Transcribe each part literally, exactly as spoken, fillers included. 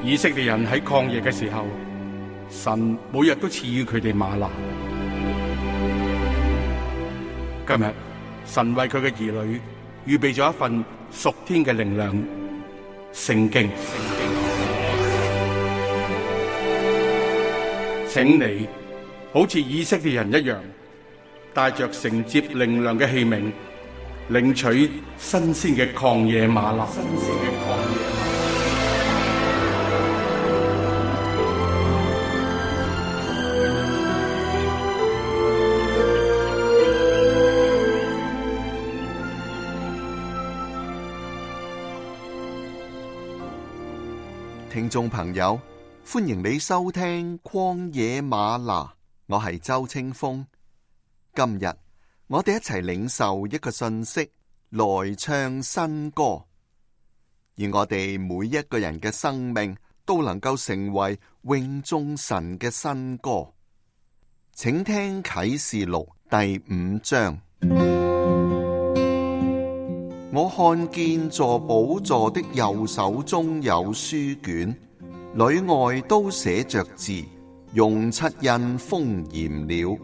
以色列人喺曠野嘅時候，神每日都賜予佢哋嗎哪。今日神為佢嘅兒女預備咗一份屬天嘅靈糧——聖經。請你好似以色列人一樣，帶着承接靈糧嘅器皿，領取新鮮嘅曠野嗎哪。新鮮嘅曠野嗎哪。聽眾朋友，歡迎你收聽曠野嗎哪，我係周清風。今日我哋一齊領受一個信息，來唱新歌，而我哋每一個人嘅生命都能夠成為榮頌神嘅新歌。請聽啟示錄第五章。我看見坐寶座的右手中有書卷，裏外都寫着字，用七印封嚴了。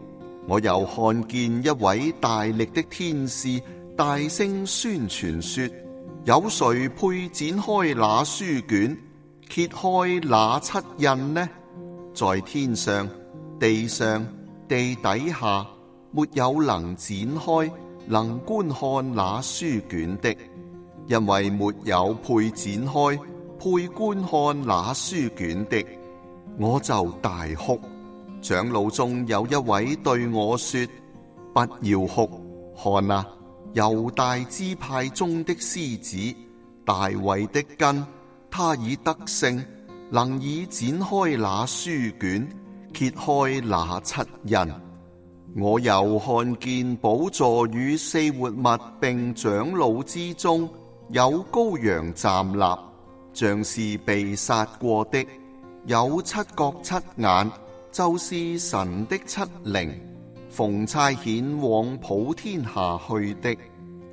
我又看見一位大力的天使大聲宣傳說：有誰配展開那書卷，揭開那七印呢？在天上、地上、地底下，沒有能展開能觀看那書卷的，因為沒有配展開配觀看那書卷的。我就大哭。長老中有一位對我說：不要哭，看啊，猶大支派中的獅子，大衛的根，他已得勝，能以展開那書卷，揭開那七印。我又看見寶座與四活物並長老之中，有羔羊站立，像是被殺過的，有七角七眼，就是神的七靈，奉差遣往普天下去的。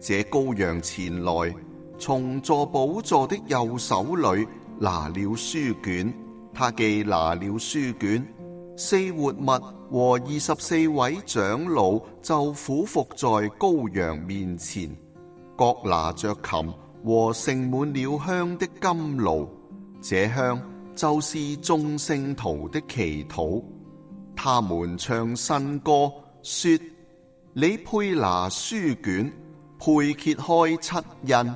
這羔羊前來，從坐寶座的右手裏拿了書卷，他既拿了書卷，四活物和二十四位長老就俯伏在羔羊面前，各拿着琴和盛滿了香的甘露，這香就是眾聖徒的祈禱。他們唱新歌，說：你配拿書卷，配揭開七印，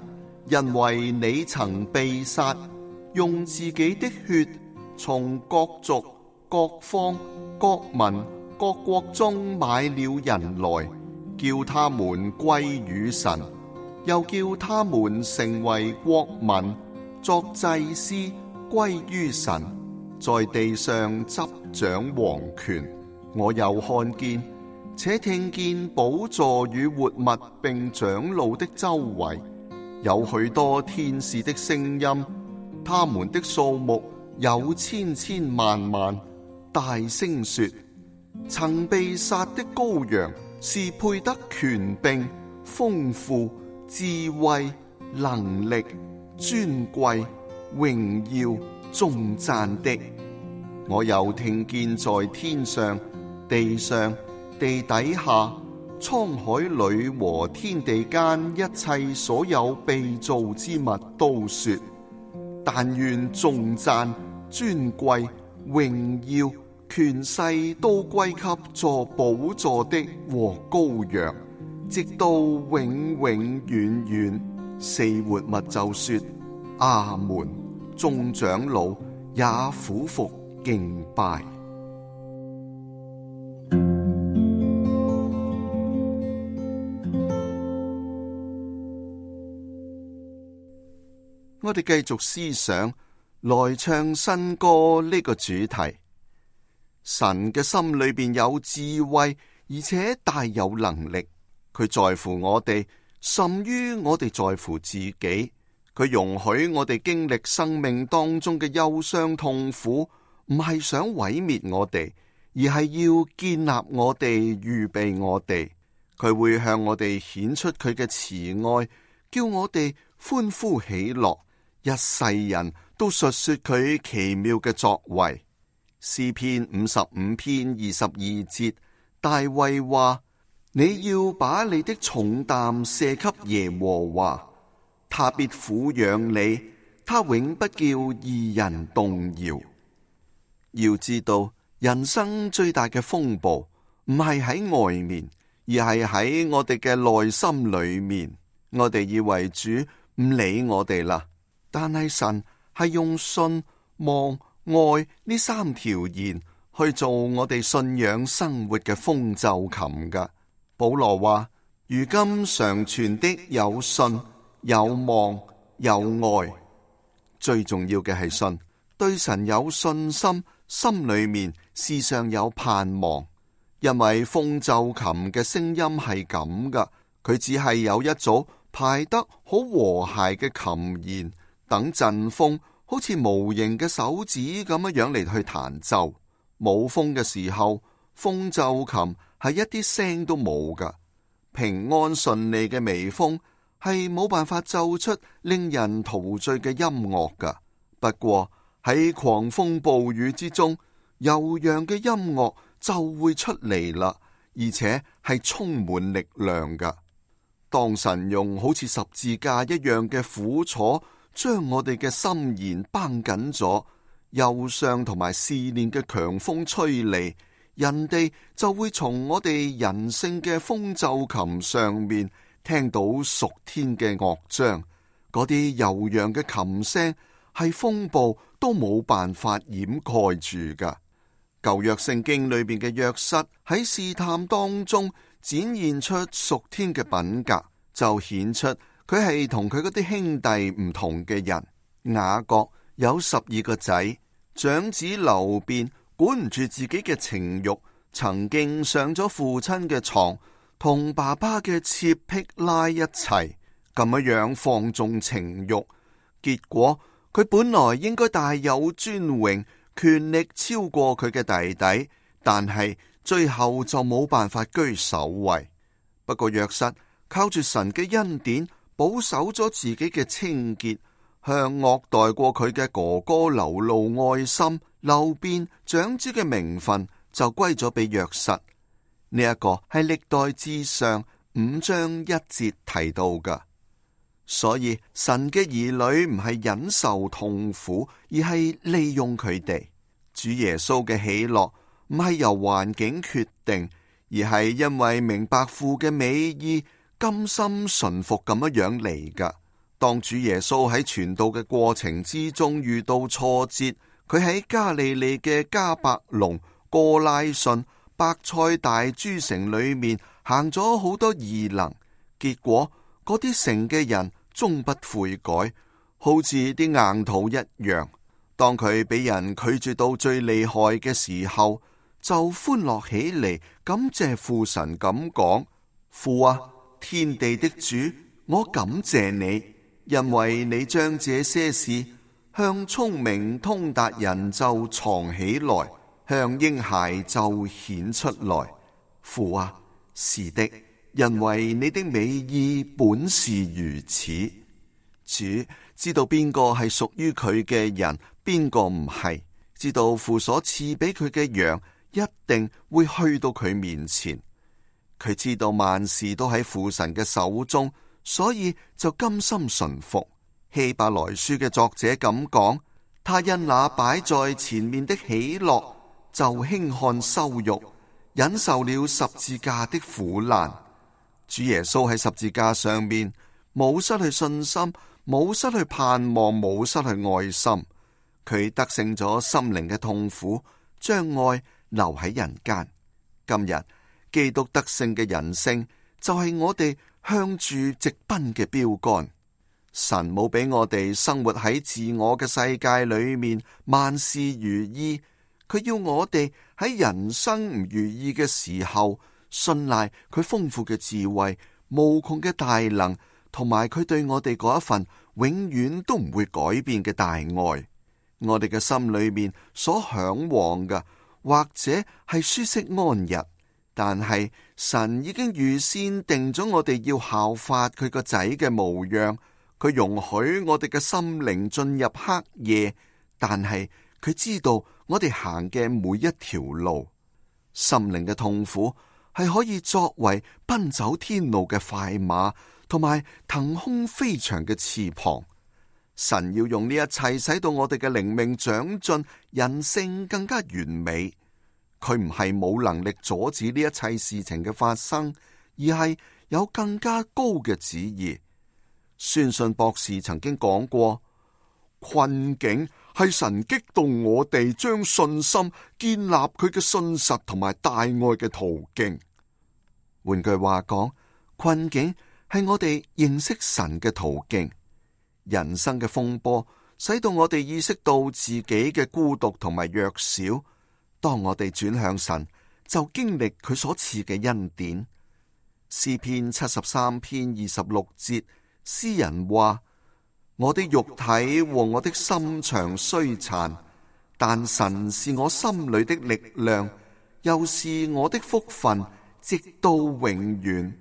因為你曾被殺，用自己的血從各族、各方、各民、各國中買了人來，叫他們歸與神，又叫他們成為國民，作祭司，歸於神，在地上執掌王權。我又看見且聽見寶座與活物並長老的周圍，有許多天使的聲音，他們的數目有千千萬萬，大聲說：曾被殺的羔羊是配得權柄、豐富、智慧、能力、尊貴、榮耀、頌讚的。我又聽見在天上、地上、地底下、滄海裏和天地間一切所有被造之物都說：但願頌讚、尊貴、榮耀、權勢都歸給坐寶座的和羔羊，直到永永遠遠。四活物就說：阿門。眾長老也俯伏敬拜。我哋繼續思想來唱新歌呢個主題。神嘅心裏邊有智慧，而且大有能力。佢在乎我哋，甚於我哋在乎自己。佢容許我哋經歷生命當中嘅憂傷痛苦，唔係想毀滅我哋，而係要建立我哋，預備我哋。佢會向我哋顯出佢嘅慈愛，叫我哋歡呼喜樂。一世人都都述說佢奇妙嘅作為。詩篇五十五篇二十二節，大衛話：你要把你的重擔卸給耶和華，他必撫養你，他永不叫義人動搖。要知道，人生最大嘅風暴唔係喺外面，而係喺我哋嘅內心裏面。我哋以為主唔理我哋啦，但係神係用信、望、愛呢三條弦去做我哋信仰生活嘅風奏琴噶。保羅話：如今常存的有信、有望、有愛。最重要嘅係信，對神有信心，心裏面時常有盼望。因為風奏琴嘅聲音係咁噶，佢只係有一組排得好和諧嘅琴弦，等陣風好似無形嘅手指咁樣樣嚟去彈奏。冇風嘅時候，風奏琴係一啲聲都冇噶。平安順利嘅微風係冇辦法奏出令人陶醉嘅音樂噶。不過喺狂風暴雨之中，悠揚嘅音樂就會出嚟啦，而且係充滿力量噶。當神用好似十字架一樣嘅苦楚，將我哋嘅心弦繃緊咗，憂傷同埋試煉嘅強風吹嚟，人哋就會從我哋人性嘅風奏琴上面聽到屬天嘅樂章。嗰啲悠揚嘅琴聲係風暴都冇辦法掩蓋住噶。舊約聖經裏邊嘅約瑟喺試探當中展現出屬天嘅品格，就顯出佢係同佢嗰啲兄弟唔同嘅人。雅各有十二個仔，長子流便管唔住自己嘅情慾，曾經上咗父親嘅床，同爸爸嘅妾辟拉一齊咁樣樣放縱情慾，結果佢本來應該大有尊榮，權力超過佢嘅弟弟，但係最後就冇辦法居首位。不過約瑟靠住神嘅恩典，保守咗自己嘅清潔，向惡待過佢嘅哥哥流露愛心。流便長子嘅名分就歸咗俾約瑟。呢一個係歷代志上五章一節提到噶。所以神嘅兒女唔係忍受痛苦，而係利用佢哋。主耶穌嘅喜樂唔係由環境決定，而係因為明白父嘅美意，甘心順服咁樣樣嚟噶。當主耶穌喺傳道嘅過程之中遇到挫折，佢喺加利利嘅迦百農、哥拉汛、伯賽大諸城裏面行咗好多異能，結果嗰啲城嘅人終不悔改，好似啲硬土一樣。當佢俾人拒絕到最厲害嘅時候，就歡樂起嚟，感謝父神咁講：父啊，天地的主，我感謝你，因為你將這些事向聰明通達人就藏起來，向嬰孩就顯出來。父啊，是的，因為你的美意本是如此。主知道邊個係屬於佢嘅人，邊個唔係，知道父所賜俾佢嘅羊一定會去到佢面前。佢知道萬事都喺父神嘅手中，所以就甘心順服。希伯來書嘅作者咁講：他因那擺在前面的喜樂，就輕看羞辱，忍受了十字架的苦難。主耶穌喺十字架上面冇失去信心，冇失去盼望，冇失去愛心。佢得勝咗心靈嘅痛苦，將愛留喺人間。今日基督得勝嘅人性就係我哋向住直奔嘅標杆。神冇俾我哋生活喺自我嘅世界裏面，萬事如意。佢要我哋喺人生唔如意嘅時候，信賴佢豐富嘅智慧、無窮嘅大能，同埋佢對我哋嗰一份永遠都唔會改變嘅大愛。我哋嘅心裏面所向往嘅，或者係舒適安逸，但係神已經預先定咗我哋要效法佢個仔嘅模樣。佢容許我哋嘅心靈進入黑夜，但係佢知道我哋行嘅每一條路。心靈嘅痛苦係可以作為奔走天路嘅快馬，同埋騰空飛翔嘅翅膀。神要用呢一切使到我哋嘅靈命長進，人性更加完美。佢唔係冇能力阻止呢一切事情嘅發生，而係有更加高嘅旨意。宣信博士曾經講過，困境係神激動我哋將信心建立佢嘅信實同埋大愛嘅途徑。換句話講，困境係我哋認識神嘅途徑。人生嘅風波使到我哋意識到自己嘅孤獨同埋弱小。當我哋轉向神，就經歷佢所賜嘅恩典。詩篇七十三篇二十六節，詩人話：我的肉體和我的心腸衰殘，但神是我心裏的力量，又是我的福分，直到永遠。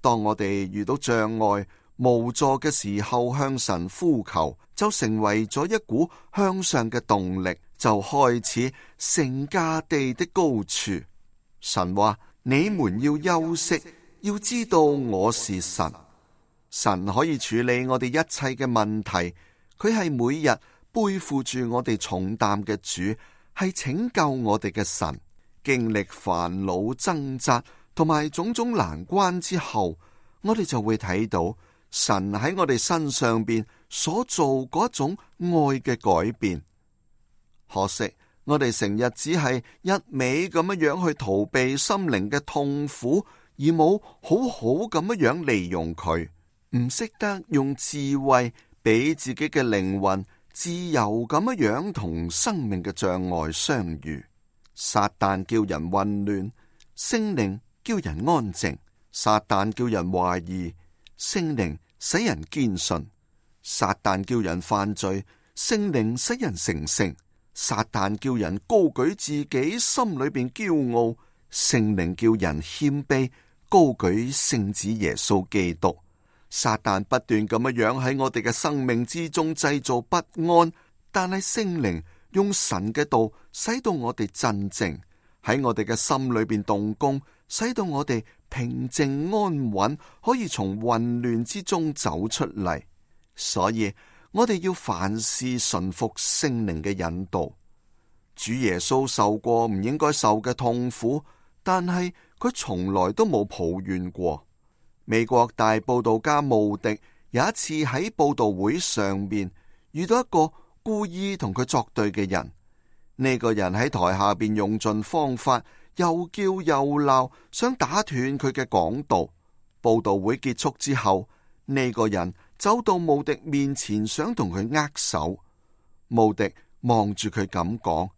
當我哋遇到障礙無助嘅時候，向神呼求，就成為咗一股向上嘅動力，就開始成架地的高處。神話：你們要休息，要知道我是神。神可以處理我哋一切嘅問題，佢係每日背負住我哋重擔嘅主，係拯救我哋嘅神。經歷煩惱掙扎同埋種種難關之後，我哋就會睇到神喺我哋身上邊所做嗰種愛嘅改變。可惜我哋成日只係一味咁樣樣去逃避心靈嘅痛苦，而冇好好咁樣樣利用佢，唔識得用智慧俾自己嘅靈魂自由咁樣樣同生命嘅障礙相遇。撒旦叫人混亂，聖靈叫人安靜；撒旦叫人懷疑，聖靈使人堅信；撒旦叫人犯罪，聖靈使人成聖；撒旦叫人高舉自己，心裏邊驕傲，聖靈叫人謙卑，高舉聖子耶穌基督。撒旦不斷咁樣樣喺我哋嘅生命之中製造不安，但係聖靈用神嘅道使到我哋鎮靜，喺我哋嘅心裏邊動工，使到我哋平靜安穩，可以從混亂之中走出嚟。所以我哋要凡事順服聖靈嘅引導。主耶穌受過唔應該受嘅痛苦，但係佢從來都冇抱怨過。美國大佈道家慕迪有一次喺佈道會上面遇到一個故意同佢作對嘅人，呢個人喺台下邊用盡方法，又叫又鬧，想打斷佢嘅講道。佈道會結束之後，呢個人走到慕迪面前，想同佢握手。慕迪望住佢咁講：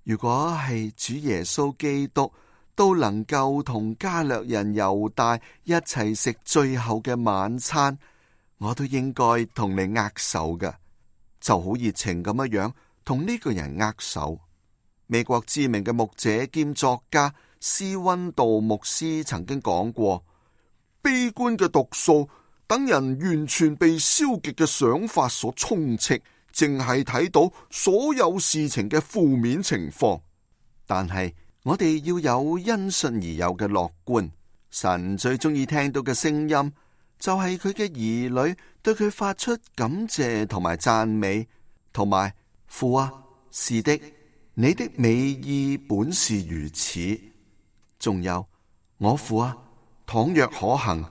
如果係主耶穌基督都能夠同加略人猶大一齊食最後嘅晚餐，我都應該同你握手㗎。就好熱情咁樣樣同呢個人握手。美國知名嘅牧者兼作家斯溫道牧師曾經講過：悲觀嘅毒素等人完全被消極嘅想法所充斥，淨係睇到所有事情嘅負面情況。但係我哋要有因信而有嘅樂觀。神最中意聽到嘅聲音就係佢嘅兒女對佢發出感謝同埋讚美，同埋父啊，是的，你的美意本是如此。仲有我父啊，倘若可行，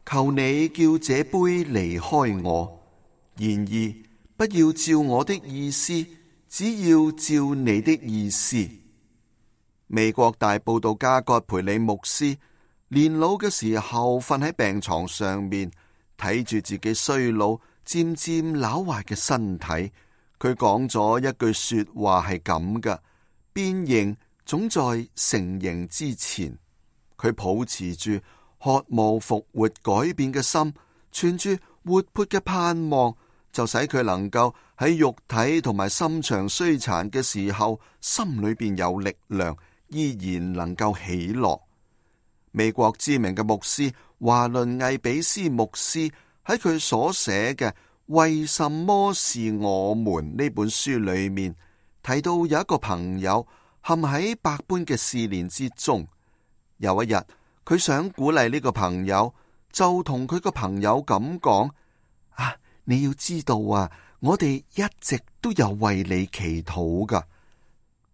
求你叫這杯離開我，然而不要照我的意思，只要照你的意思。美國大佈道家葛培理牧師年老嘅時候瞓喺病床上面，睇住自己衰老漸漸朽壞嘅身體，佢講咗一句說話係咁㗎：變形總在成形之前。佢抱持住渴慕復活改變嘅心，存住活潑嘅盼望，就使佢能夠喺肉體同埋心腸衰殘嘅時候，心裏邊有力量，依然能夠喜樂。美國知名嘅牧師華倫魏比斯牧師喺佢所寫嘅《為什麼是我們》呢本書裏面，提到有一個朋友陷喺百般嘅試煉之中。有一日，佢想鼓勵呢個朋友，就同佢個朋友咁講：啊，你要知道啊，我哋一直都有為你祈禱噶。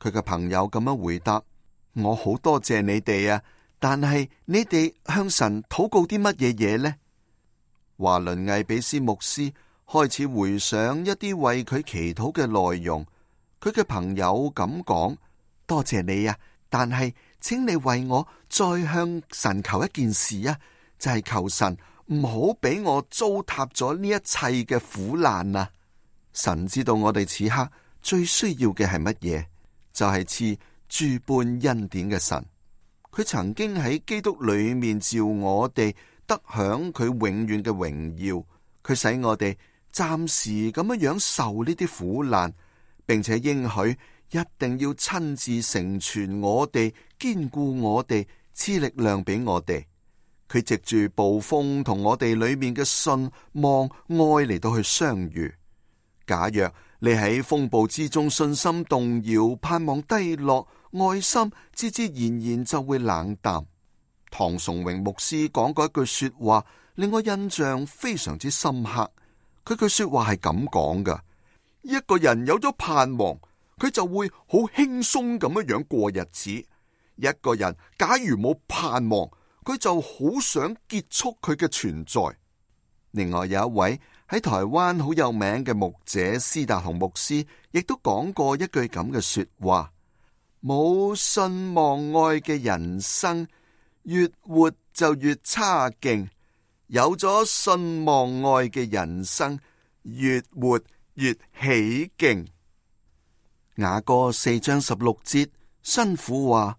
佢嘅朋友咁樣回答：我好多謝你哋啊，但係你哋向神禱告啲乜嘢嘢呢？華倫艾比斯牧師開始回想一啲為佢祈禱嘅內容。佢嘅朋友咁講：多謝你啊，但係請你為我再向神求一件事啊，就係求神唔好俾我糟蹋咗呢一切嘅苦難啊！神知道我哋此刻最需要嘅係乜嘢，就係賜諸般恩典嘅神。佢曾經喺基督裏面召我哋得享佢永遠嘅榮耀，佢使我哋暫時咁樣樣受呢啲苦難，並且應許一定要親自成全我哋，堅固我哋，賜力量俾我哋。佢藉住暴風同我哋裏面嘅信望愛嚟到去相遇。假若你喺風暴之中信心動搖，盼望低落，愛心自自然然就會冷淡。唐崇榮牧師講過一句說話，令我印象非常之深刻。佢句說話係咁講噶：一個人有咗盼望，佢就會好輕鬆咁樣樣過日子；一個人假如冇盼望，佢就好想結束佢嘅存在。另外有一位喺台灣好有名嘅牧者司達雄牧師，亦都講過一句咁嘅說話：冇信望愛嘅人生，越活就越差勁；有咗信望愛嘅人生，越活越起勁。雅歌四章十六節，新婦話：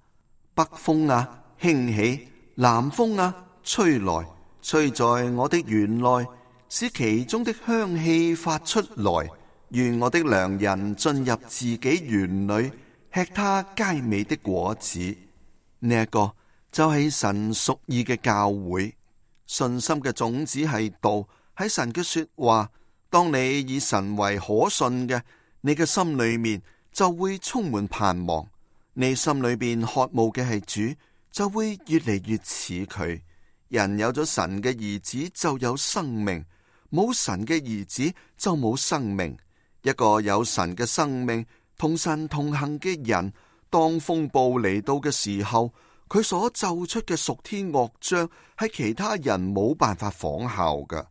北風啊，興起；南風啊，吹來，吹在我的園內，使其中的香氣發出來。願我的良人進入自己園裏，吃他佳美的果子。呢、這、一個就係神屬意嘅教會。信心嘅種子係道，喺神嘅說話。當你以神為可信嘅，你嘅心裏面就會充滿盼望。你心裏邊渴慕嘅係主，就會越嚟越似佢。人有咗神嘅兒子就有生命，冇神嘅兒子就冇生命。一個有神嘅生命同神同行嘅人，當風暴嚟到嘅時候，佢所奏出嘅屬天樂章係其他人冇辦法仿效嘅。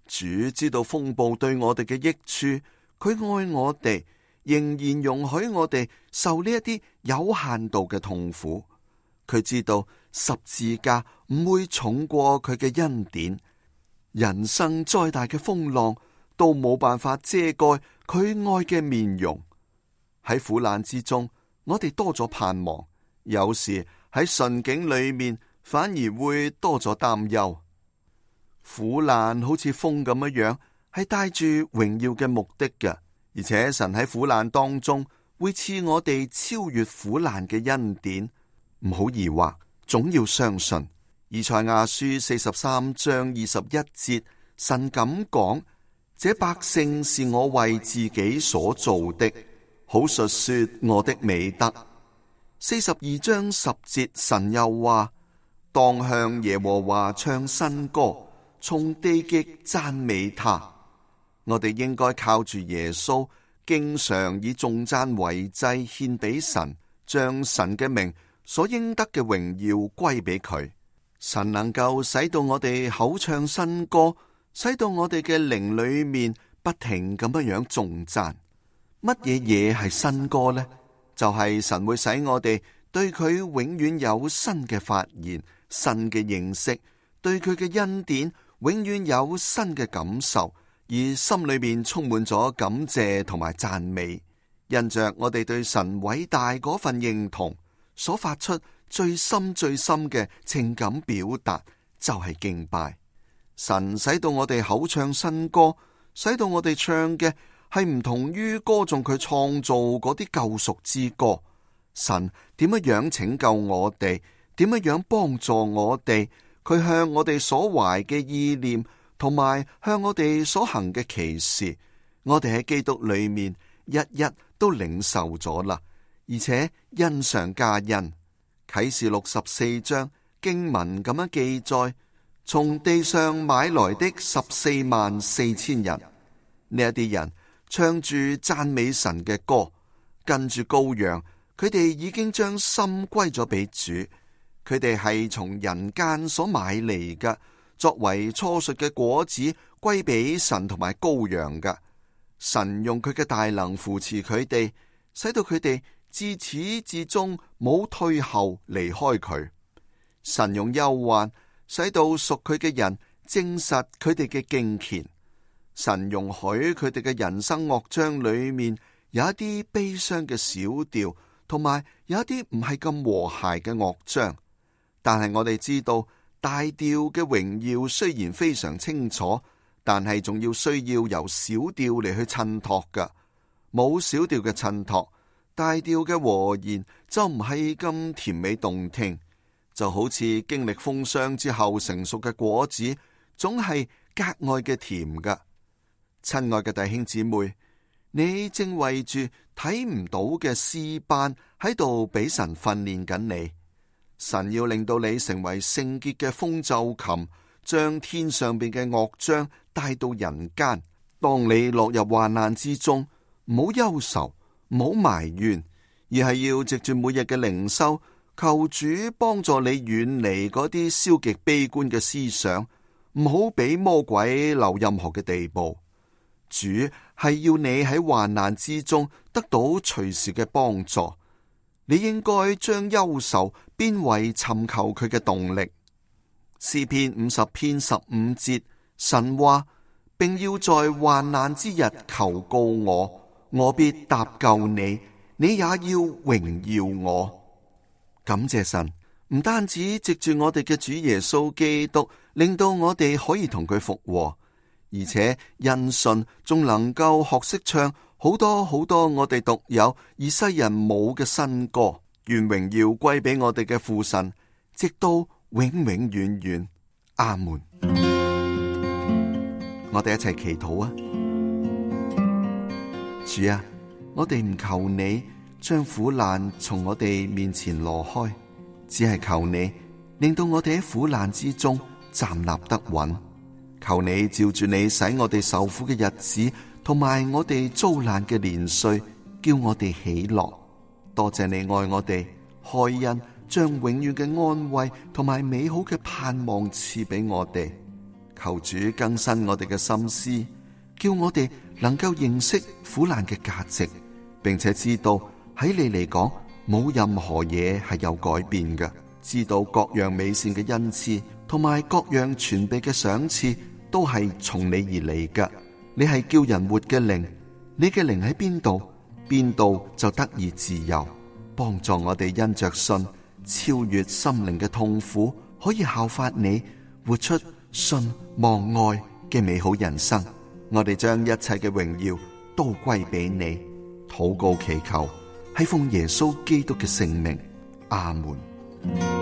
主知道風暴對我哋嘅益處，佢愛我哋，仍然容許我哋受呢一啲有限度嘅痛苦。佢知道十字架唔會重過佢嘅恩典，人生再大嘅風浪都冇辦法遮蓋佢愛嘅面容。喺苦難之中，我哋多咗盼望；有時喺順境裏面，反而會多咗擔憂。苦難好似風咁樣樣，係帶住榮耀嘅目的嘅，而且神喺苦難當中會賜我哋超越苦難嘅恩典。唔好疑惑，總要相信。以賽亞書四十三章二十一節，神咁講：這百姓是我為自己所造的，好述說我的美德。四十二章十節，神又話：當向耶和華唱新歌，從地極讚美他。我哋應該靠住耶穌，經常以頌讚為祭獻俾神，將神嘅名所應得嘅榮耀歸俾佢。神能夠使到我哋口唱新歌，使到我哋嘅靈裏面不停咁樣樣頌讚。乜嘢嘢係新歌呢？就係、是、神會使我哋對佢永遠有新嘅發現、新嘅認識，對佢嘅恩典永遠有新嘅感受，而心裏面充滿咗感謝同埋讚美。因着我哋對神偉大嗰份認同，所發出最深最深嘅情感表達，就係敬拜。神使到我哋口唱新歌，使到我哋唱嘅係唔同於歌頌佢創造嗰啲救贖之歌。神點樣樣拯救我哋，點樣樣幫助我哋，佢向我哋所懷嘅意念同埋向我哋所行嘅奇事，我哋喺基督裏面一一都領受咗啦，而且恩上加恩。啟示錄十四章經文咁樣記載，從地上買來的十四萬四千人，呢一啲人唱住讚美神嘅歌，跟住羔羊，佢哋已經將心歸咗俾主，佢哋係從人間所買嚟嘅，作為初熟嘅果子歸俾神同埋羔羊嘅。神用佢嘅大能扶持佢哋，使到佢哋自始至終冇退後離開佢。神用憂患使到屬佢嘅人證實佢哋嘅敬虔。神容許佢哋嘅人生樂章裏面有一啲悲傷嘅小調，同埋有一啲唔係咁和諧嘅樂章。但係我哋知道大調嘅榮耀雖然非常清楚，但係仲要需要由小調嚟去襯托㗎。冇小調嘅襯托，大調嘅和弦就唔係咁甜美動聽。就好似經歷風霜之後成熟嘅果子，總係格外嘅甜㗎。親愛嘅弟兄姊妹，你正為住睇唔到嘅詩班喺度俾神訓練緊你。神要令到你成為聖潔嘅風奏琴，將天上邊嘅樂章帶到人間。當你落入患難之中，唔好憂愁，唔好埋怨，而係要藉住每日嘅靈修，求主幫助你遠離嗰啲消極悲觀嘅思想，唔好俾魔鬼留任何嘅地步。主係要你喺患難之中得到隨時嘅幫助。你應該將憂愁變為尋求佢嘅動力。詩篇五十篇十五節，神話，並要在患難之日求告我，我必搭救你，你也要榮耀我。感謝神，唔單止藉住我哋嘅主耶穌基督，令到我哋可以同佢復和，而且因信仲能夠學識唱好多好多我哋獨有而世人冇嘅新歌。願榮耀歸俾我哋嘅父神，直到永永遠遠。阿門。我哋一齊祈禱啊！主啊，我哋唔求你將苦難從我哋面前挪開，只係求你令到我哋喺苦難之中站立得穩。求你照住你使我哋受苦嘅日子，同埋我哋遭難嘅年歲，叫我哋喜樂。多謝你愛我哋，開恩將永遠嘅安慰同埋美好嘅盼望賜俾我哋。求主更新我哋嘅心思，叫我哋能夠認識苦難嘅價值，並且知道喺你嚟講冇任何嘢係有改變嘅。知道各樣美善嘅恩賜同埋各樣全備嘅賞賜都係從你而嚟嘅。你係叫人活嘅靈，你嘅靈喺邊度，邊度就得以自由。幫助我哋因着信超越心靈嘅痛苦，可以效法你，活出信望愛嘅美好人生。我哋將一切嘅榮耀都歸俾你。禱告祈求係奉耶穌基督嘅聖名。阿門。